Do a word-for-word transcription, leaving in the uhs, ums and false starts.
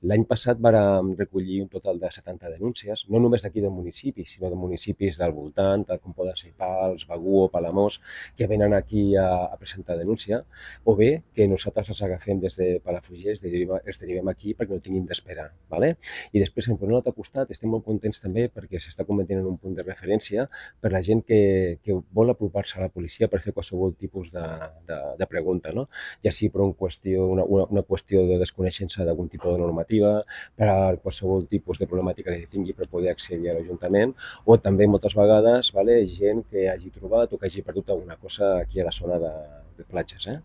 L'any passat vàrem recollir un total de setanta denúncies, no només d'aquí del municipi, sinó de municipis del voltant, tal com poden ser Pals, Begur o Palamós, que venen aquí a, a presentar denúncia, o bé que nosaltres els agafem des de Palafrugell, els derivem, els derivem aquí perquè no tinguin d'esperar. ¿Vale? I després, per un altre costat, estem molt contents també perquè s'està convertint en un punt de referència per la gent que, que vol apropar-se a la policia per fer qualsevol tipus de, de, de pregunta, no? Ja sigui per un qüestió, una, una, una qüestió de desconeixença d'algun tipus de normativa, per a qualsevol tipus de problemàtica que tingui per poder accedir a l'Ajuntament, o també moltes vegades, vale, gent que hagi trobat o que hagi perdut alguna cosa aquí a la zona de, de platges. Eh?